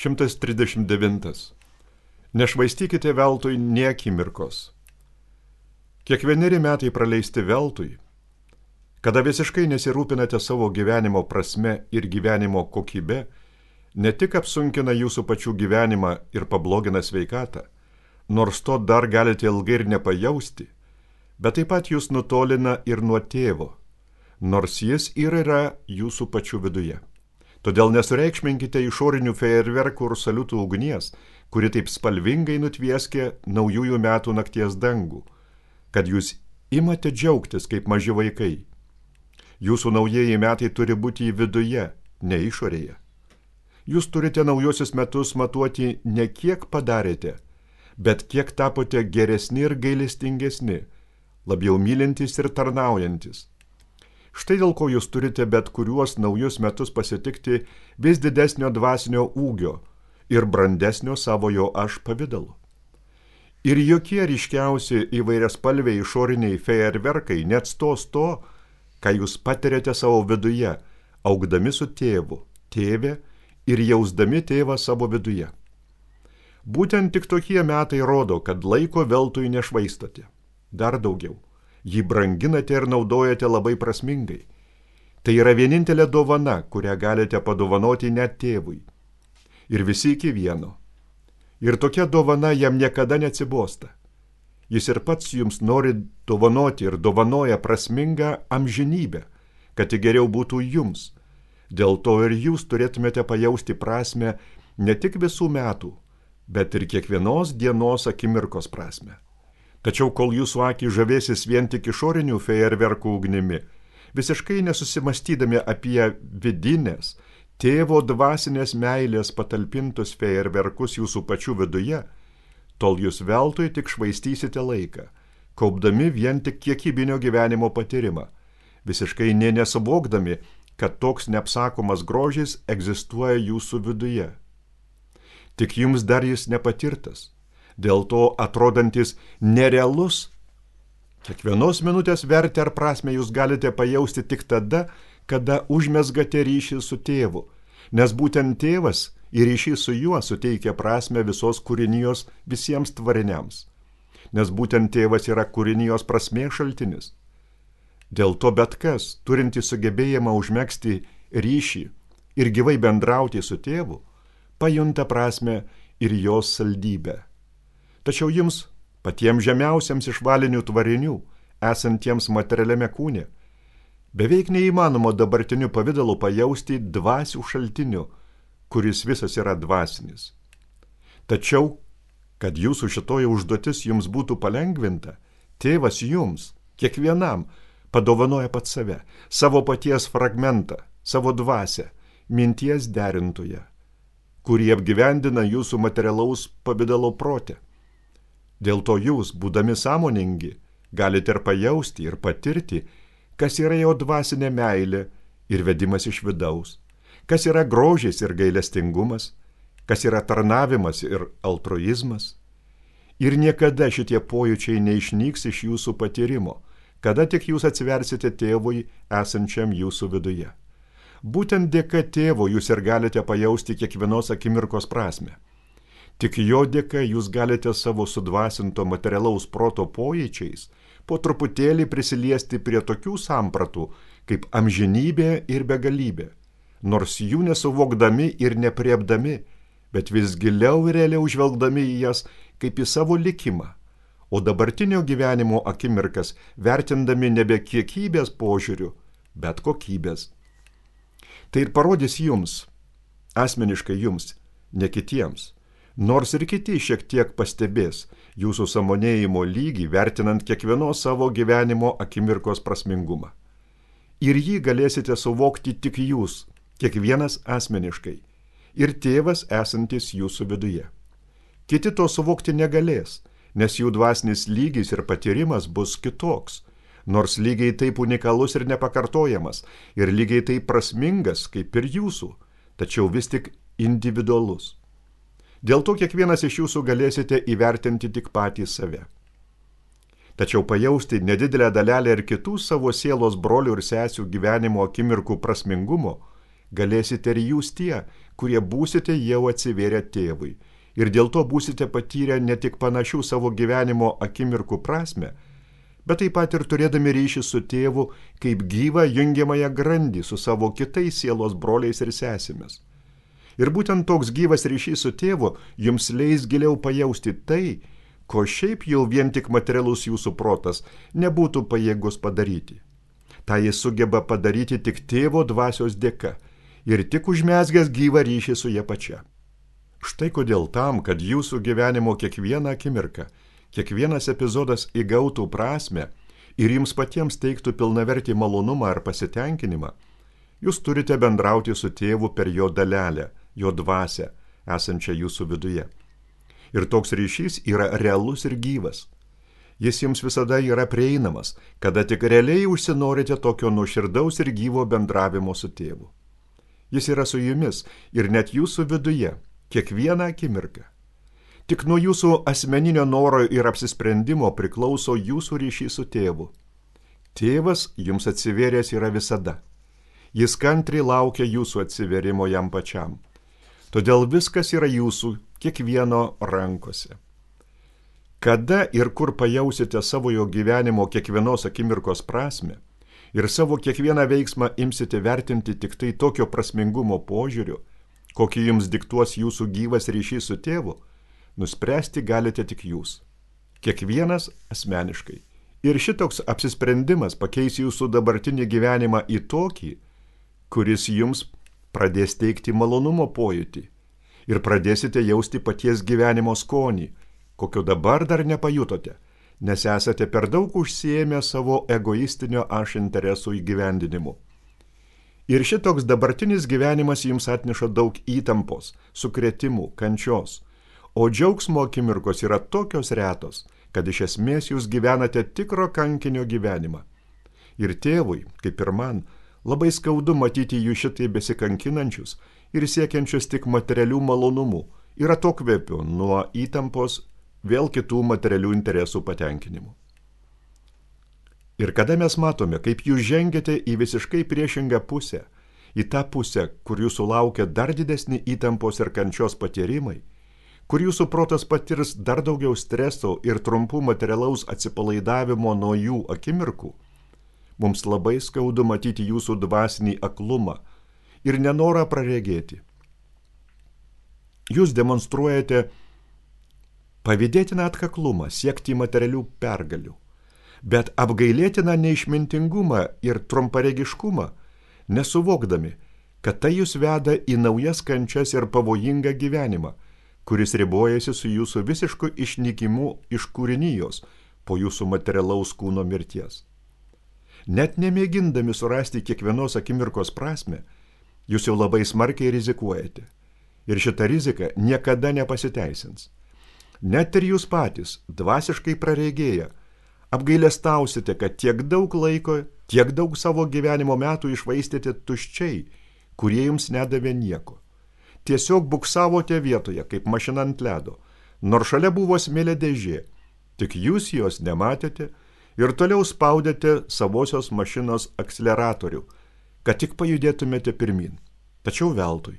139. Nešvaistykite veltui nė akimirkos. Kiekvieneri metai praleisti veltui, kada visiškai nesirūpinate savo gyvenimo prasme ir gyvenimo kokybe, ne tik apsunkina jūsų pačių gyvenimą ir pablogina sveikatą, nors to dar galite ilgai ir nepajausti, bet taip pat jūs nutolina ir nuo tėvo, nors jis yra jūsų pačių viduje. Todėl nesureikšminkite išorinių fejerverkų ir saliutų ugnies, kuri taip spalvingai nutvieskė naujųjų metų nakties dangų, kad jūs imate džiaugtis kaip maži vaikai. Jūsų naujieji metai turi būti viduje, ne išorėje. Jūs turite naujosius metus matuoti ne kiek padarėte, bet kiek tapote geresni ir gailestingesni, labiau mylintys ir tarnaujantis. Štai dėl ko jūs turite bet kuriuos naujus metus pasitikti vis didesnio dvasinio ūgio ir brandesnio savojo aš pavidalu. Ir jokie ryškiausi įvairiaspalviai išoriniai fejerverkai neatstos to, ką jūs patiriate savo viduje, augdami su tėvu, tėve ir jausdami tėvą savo viduje. Būtent tik tokie metai rodo, kad laiko veltui nešvaistote. Dar daugiau. Jį branginate ir naudojate labai prasmingai. Tai yra vienintelė dovana, kurią galite padovanoti net tėvui. Ir visi iki vieno. Ir tokia dovana jam niekada neatsibosta. Jis ir pats jums nori dovanoti ir dovanoja prasmingą amžinybę, kad tik geriau būtų jums. Dėl to ir jūs turėtumėte pajausti prasmę ne tik visų metų, bet ir kiekvienos dienos akimirkos prasmę. Tačiau kol jūsų akį žavėsis vien tik išorinių fejerverkų ugnimi, visiškai nesusimastydami apie vidinės, tėvo dvasinės meilės patalpintus fejerverkus jūsų pačių viduje, tol jūs veltui tik švaistysite laiką, kaupdami vien tik kiekybinio gyvenimo patyrimą, visiškai nesuvokdami, kad toks neapsakomas grožis egzistuoja jūsų viduje. Tik jums dar jis nepatirtas. Dėl to atrodantis nerealus. Kiekvienos minutės vertę ar prasmę jūs galite pajausti tik tada, kada užmezgate ryšį su tėvu, nes būtent tėvas ir ryšys su juo suteikia prasmę visos kūrinijos visiems tvariniams, nes būtent tėvas yra kūrinijos prasmės šaltinis. Dėl to bet kas, turintis sugebėjimą užmegzti ryšį ir gyvai bendrauti su tėvu, pajunta prasmę ir jos saldybę. Tačiau jums, patiems žemiausiams iš valinių tvarinių, esantiems materialiame kūne, beveik neįmanoma dabartiniu pavidalu pajausti dvasių šaltiniu, kuris visas yra dvasinis. Tačiau, kad jūsų šitoji užduotis jums būtų palengvinta, tėvas jums, kiekvienam, padovanoja pats save, savo paties fragmentą, savo dvasią, minties derintoje, kurį apgyvendina jūsų materialaus pavidalo prote. Dėl to jūs, būdami sąmoningi, galite ir pajausti, ir patirti, kas yra jo dvasinė meilė ir vedimas iš vidaus, kas yra grožis ir gailestingumas, kas yra tarnavimas ir altruizmas. Ir niekada šitie pojūčiai neišnyks iš jūsų patyrimo, kada tik jūs atsiversite tėvui esančiam jūsų viduje. Būtent dėka tėvo jūs ir galite pajausti kiekvienos akimirkos prasmę. Tik jo dėka jūs galite savo sudvasinto materialaus proto pojūčiais po truputėlį prisiliesti prie tokių sampratų kaip amžinybė ir begalybė, nors jų nesuvokdami ir nepriepdami, bet vis giliau ir realiau žvelgdami į jas kaip į savo likimą, o dabartinio gyvenimo akimirkas vertindami nebe kiekybės požiūrių, bet kokybės. Tai ir parodys jums, asmeniškai jums, ne kitiems. Nors ir kiti šiek tiek pastebės jūsų sąmonėjimo lygį, vertinant kiekvienos savo gyvenimo akimirkos prasmingumą. Ir jį galėsite suvokti tik jūs, kiekvienas asmeniškai, ir tėvas esantis jūsų viduje. Kiti to suvokti negalės, nes jų dvasinis lygis ir patyrimas bus kitoks, nors lygiai taip unikalus ir nepakartojamas, ir lygiai taip prasmingas kaip ir jūsų, tačiau vis tik individualus. Dėl to kiekvienas iš jūsų galėsite įvertinti tik patį save. Tačiau pajausti nedidelę dalelę ir kitų savo sielos brolių ir sesių gyvenimo akimirkų prasmingumo galėsite ir jūs tie, kurie būsite jau atsivėrę tėvui. Ir dėl to būsite patyrę ne tik panašių savo gyvenimo akimirkų prasme, bet taip pat ir turėdami ryšį su tėvu kaip gyvą jungiamąją grandį su savo kitais sielos broliais ir sesėmis. Ir būtent toks gyvas ryšys su tėvu jums leis giliau pajausti tai, ko šiaip jau vien tik materialus jūsų protas nebūtų pajėgus padaryti. Ta jis sugeba padaryti tik tėvo dvasios dėka ir tik užmezgęs gyvą ryšį su ja pačia. Štai kodėl tam, kad jūsų gyvenimo kiekvieną akimirką, kiekvienas epizodas įgautų prasmę ir jums patiems teiktų pilnavertį malonumą ar pasitenkinimą, jūs turite bendrauti su tėvu per jo dalelę, jo dvasią, esančią jūsų viduje. Ir toks ryšys yra realus ir gyvas. Jis jums visada yra prieinamas, kada tik realiai užsinorite tokio nuoširdaus ir gyvo bendravimo su tėvu. Jis yra su jumis ir net jūsų viduje, kiekvieną akimirką. Tik nuo jūsų asmeninio noro ir apsisprendimo priklauso jūsų ryšys su tėvu. Tėvas jums atsivėręs yra visada. Jis kantriai laukia jūsų atsivėrimo jam pačiam. Todėl viskas yra jūsų kiekvieno rankose. Kada ir kur pajausite savo jo gyvenimo kiekvienos akimirkos prasmę ir savo kiekvieną veiksmą imsite vertinti tik tai tokio prasmingumo požiūriu, kokį jums diktuos jūsų gyvas ryšys su tėvu, nuspręsti galite tik jūs, kiekvienas asmeniškai. Ir šitoks apsisprendimas pakeis jūsų dabartinį gyvenimą į tokį, kuris jums pradės teikti malonumo pojūtį ir pradėsite jausti paties gyvenimo skonį, kokio dabar dar nepajutote, nes esate per daug užsiėmę savo egoistinio aš interesų įgyvendinimu. Ir šitoks dabartinis gyvenimas jums atneša daug įtampos, sukrėtimų, kančios, o džiaugsmo akimirkos yra tokios retos, kad iš esmės jūs gyvenate tikro kankinio gyvenimą. Ir tėvui, kaip ir man, labai skaudu matyti jų šitai besikankinančius ir siekiančius tik materialių malonumų ir atokvėpių nuo įtampos vėl kitų materialių interesų patenkinimų. Ir kada mes matome, kaip jūs žengiate į visiškai priešingą pusę, į tą pusę, kur jūsų laukia dar didesni įtampos ir kančios patyrimai, kur jūsų protas patirs dar daugiau streso ir trumpų materialaus atsipalaidavimo nuo jų akimirkų, mums labai skaudu matyti jūsų dvasinį aklumą ir nenorą praregėti. Jūs demonstruojate pavydėtiną atkaklumą siekti materialių pergalių, bet apgailėtiną neišmintingumą ir trumparegiškumą, nesuvokdami, kad tai jūs veda į naujas kančias ir pavojingą gyvenimą, kuris ribojasi su jūsų visišku išnykimu iš kūrinijos po jūsų materialaus kūno mirties. Net nemėgindami surasti kiekvienos akimirkos prasmę, jūs jau labai smarkiai rizikuojate. Ir šita rizika niekada nepasiteisins. Net ir jūs patys, dvasiškai praregėję, apgailestausite, kad tiek daug laiko, tiek daug savo gyvenimo metų išvaistėte tuščiai, kurie jums nedavė nieko. Tiesiog buksavote vietoje, kaip mašina ant ledo, nors šalia buvo smėlio dėžė, tik jūs jos nematėte ir toliau spaudėte savosios mašinos akseleratorių, kad tik pajudėtumėte pirmin. Tačiau veltui.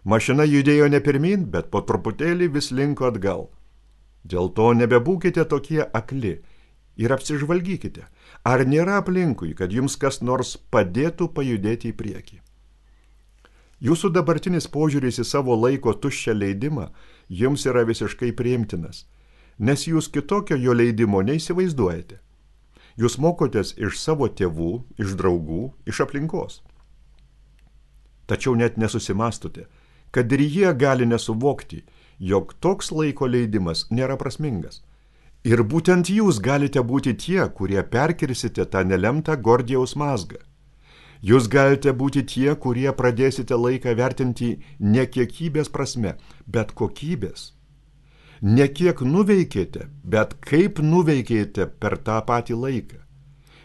Mašina judėjo ne pirmin, bet po truputėlį vis linko atgal. Dėl to nebebūkite tokie akli ir apsižvalgykite, ar nėra aplinkui, kad jums kas nors padėtų pajudėti į priekį. Jūsų dabartinis požiūris į savo laiko tuščią leidimą jums yra visiškai priimtinas, nes jūs kitokio jo leidimo neįsivaizduojate. Jūs mokotės iš savo tėvų, iš draugų, iš aplinkos. Tačiau net nesusimastote, kad ir jie gali nesuvokti, jog toks laiko leidimas nėra prasmingas. Ir būtent jūs galite būti tie, kurie perkirsite tą nelemtą Gordijaus mazgą. Jūs galite būti tie, kurie pradėsite laiką vertinti ne kiekybės prasme, bet kokybės. Ne kiek nuveikėte, bet kaip nuveikėte per tą patį laiką.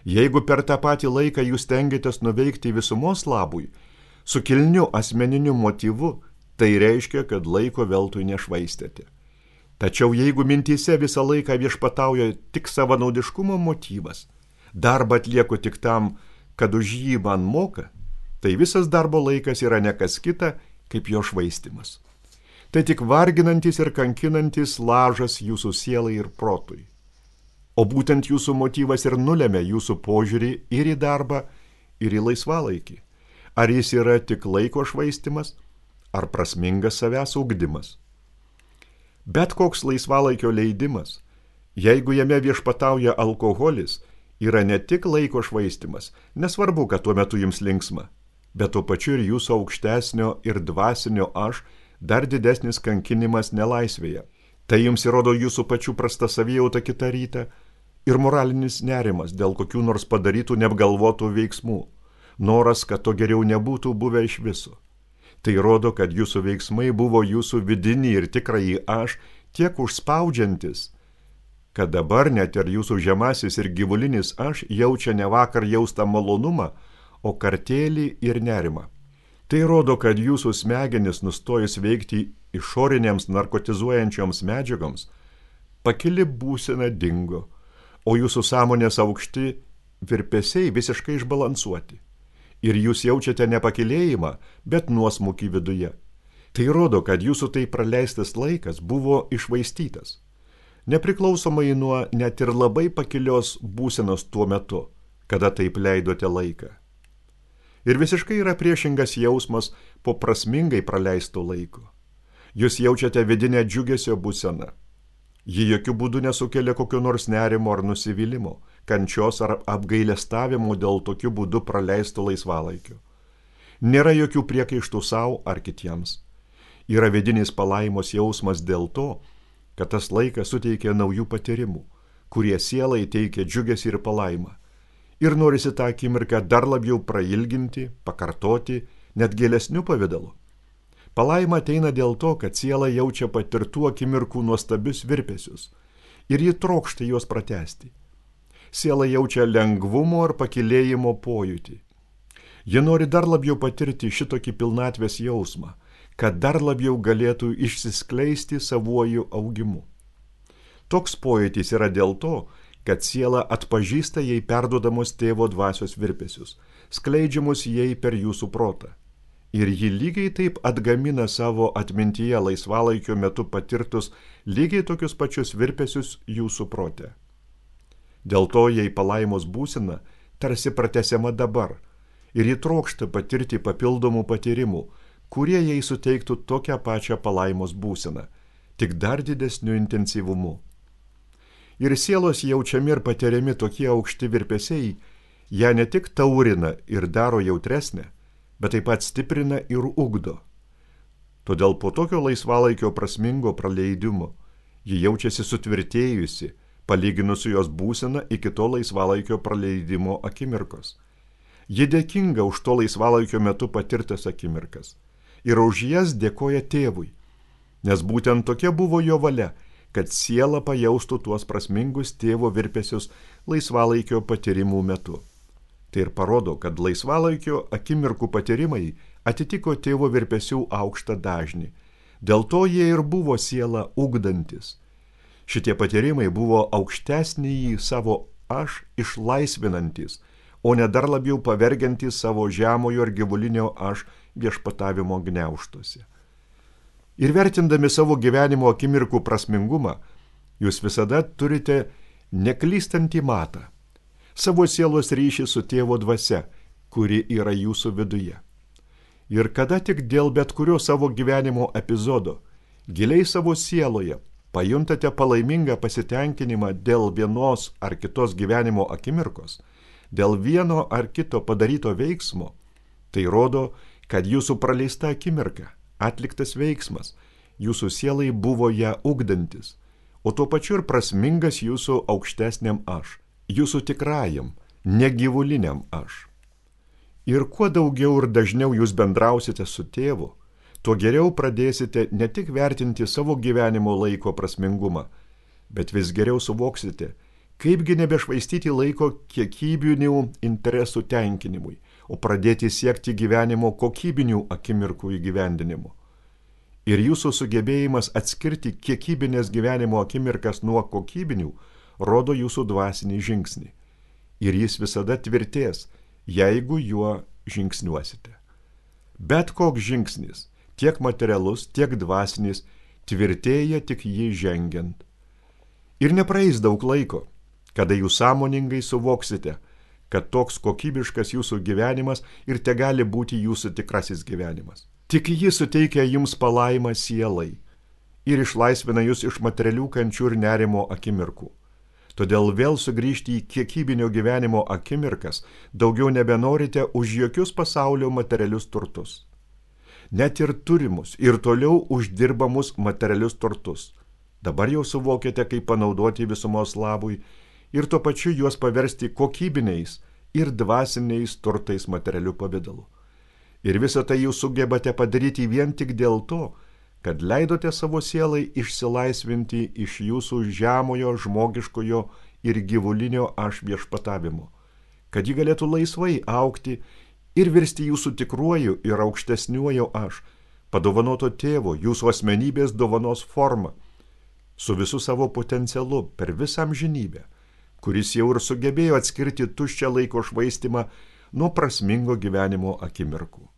Jeigu per tą patį laiką jūs stengiatės nuveikti visumos labui, su kilniu asmeniniu motyvu, tai reiškia, kad laiko veltui nešvaistėte. Tačiau jeigu mintyse visą laiką viešpatauja tik savanaudiškumo motyvas, darbą atlieku tik tam, kad už jį man moka, tai visas darbo laikas yra ne kas kita, kaip jo švaistymas. Tai tik varginantis ir kankinantis lažas jūsų sielai ir protui. O būtent jūsų motyvas ir nulemia jūsų požiūrį ir į darbą, ir į laisvalaikį. Ar jis yra tik laiko švaistymas, ar prasmingas savęs ugdymas. Bet koks laisvalaikio leidimas, jeigu jame viešpatauja alkoholis, yra ne tik laiko švaistymas, nesvarbu, kad tuo metu jums linksma, bet tuo pačiu ir jūsų aukštesnio ir dvasinio aš dar didesnis kankinimas nelaisvėje. Tai jums įrodo jūsų pačių prasta savijauta kitą rytą ir moralinis nerimas dėl kokių nors padarytų neapgalvotų veiksmų, noras, kad to geriau nebūtų buvę iš viso. Tai rodo, kad jūsų veiksmai buvo jūsų vidinį ir tikrąjį aš tiek užspaudžiantis, kad dabar net ir jūsų žemasis ir gyvulinis aš jaučia ne vakar jaustą malonumą, o kartėlį ir nerimą. Tai rodo, kad jūsų smegenis nustojus veikti išorinėms narkotizuojančioms medžiagoms, pakili būsena dingo, o jūsų sąmonės aukšti virpesiai visiškai išbalansuoti. Ir jūs jaučiate ne pakilėjimą, bet nuosmukį viduje. Tai rodo, kad jūsų tai praleistas laikas buvo išvaistytas, nepriklausomai nuo net ir labai pakilios būsenos tuo metu, kada taip leidote laiką. Ir visiškai yra priešingas jausmas po prasmingai praleisto laiko. Jūs jaučiate vidinę džiugesio būseną. Ji jokių būdų nesukelia kokio nors nerimo ar nusivylimo, kančios ar apgailestavimo dėl tokiu būdu praleisto laisvalaikio. Nėra jokių priekaištų savo ar kitiems. Yra vidinis palaimos jausmas dėl to, kad tas laikas suteikia naujų patyrimų, kurie sielai teikia džiugesį ir palaimą. Ir norisi tą akimirką dar labiau prailginti, pakartoti, net gilesniu pavidalu. Palaima ateina dėl to, kad siela jaučia patirtų akimirkų nuostabius virpesius ir ji trokšta juos pratęsti. Siela jaučia lengvumo ir pakilėjimo pojūtį. Ji nori dar labiau patirti šitokį pilnatvės jausmą, kad dar labiau galėtų išsiskleisti savuoju augimu. Toks pojūtis yra dėl to, kad siela atpažįsta jai perduodamos tėvo dvasios virpesius, skleidžiamus jai per jūsų protą. Ir ji lygiai taip atgamina savo atmintyje laisvalaikio metu patirtus lygiai tokius pačius virpesius jūsų prote. Dėl to jai palaimos būsena tarsi pratęsiama dabar ir ji trokšta patirti papildomų patyrimų, kurie jai suteiktų tokią pačią palaimos būseną, tik dar didesniu intensyvumu. Ir sielos jaučiami ir patiriami tokie aukšti virpesiai, ją ne tik taurina ir daro jautresnę, bet taip pat stiprina ir ugdo. Todėl po tokio laisvalaikio prasmingo praleidimo ji jaučiasi sutvirtėjusi, palyginus su jos būsena iki to laisvalaikio praleidimo akimirkos. Ji dėkinga už to laisvalaikio metu patirtas akimirkas ir už jas dėkoja tėvui, nes būtent tokia buvo jo valia, kad siela pajaustų tuos prasmingus tėvo virpesius laisvalaikio patyrimų metu. Tai ir parodo, kad laisvalaikio akimirkų patyrimai atitiko tėvo virpesių aukštą dažnį. Dėl to jie ir buvo sielą ugdantis. Šitie patyrimai buvo aukštesnįjį savo aš išlaisvinantis, o ne dar labiau pavergiantis savo žemojo ir gyvulinio aš viešpatavimo gniaužtuose. Ir vertindami savo gyvenimo akimirkų prasmingumą, jūs visada turite neklystantį matą, savo sielos ryšį su tėvo dvasia, kuri yra jūsų viduje. Ir kada tik dėl bet kurio savo gyvenimo epizodo, giliai savo sieloje, pajuntate palaimingą pasitenkinimą dėl vienos ar kitos gyvenimo akimirkos, dėl vieno ar kito padaryto veiksmo, tai rodo, kad jūsų praleista akimirka, atliktas veiksmas, jūsų sielai buvo ją ugdantis, o tuo pačiu ir prasmingas jūsų aukštesniam aš, jūsų tikrajam, negyvuliniam aš. Ir kuo daugiau ir dažniau jūs bendrausite su tėvu, tuo geriau pradėsite ne tik vertinti savo gyvenimo laiko prasmingumą, bet vis geriau suvoksite, kaipgi nebešvaistyti laiko kiekybinių interesų tenkinimui, o pradėti siekti gyvenimo kokybinių akimirkų įgyvendinimo. Ir jūsų sugebėjimas atskirti kiekybinės gyvenimo akimirkas nuo kokybinių rodo jūsų dvasinį žingsnį. Ir jis visada tvirtės, jeigu juo žingsniuosite. Bet koks žingsnis, tiek materialus, tiek dvasinis, tvirtėja tik jį žengiant. Ir nepraeis daug laiko, kada jūs sąmoningai suvoksite, kad toks kokybiškas jūsų gyvenimas ir tegali būti jūsų tikrasis gyvenimas. Tik jis suteikia jums palaimą sielai ir išlaisvina jūs iš materialių kančių ir nerimo akimirkų. Todėl vėl sugrįžti į kiekybinio gyvenimo akimirkas daugiau nebenorite už jokius pasaulio materialius turtus. Net ir turimus ir toliau uždirbamus materialius turtus. Dabar jau suvokėte, kaip panaudoti visumos labui ir tuo pačiu juos paversti kokybiniais ir dvasiniais turtais materialiu pavidalu. Ir visą tai jūs sugebate padaryti vien tik dėl to, kad leidote savo sielai išsilaisvinti iš jūsų žemojo, žmogiškojo ir gyvulinio aš viešpatavimo, kad ji galėtų laisvai augti ir virsti jūsų tikruoju ir aukštesniuoju aš, padovanoto tėvo, jūsų asmenybės dovanos forma, su visu savo potencialu per visą amžinybę, kuris jau ir sugebėjo atskirti tuščią laiko švaistimą nuo prasmingo gyvenimo akimirkų.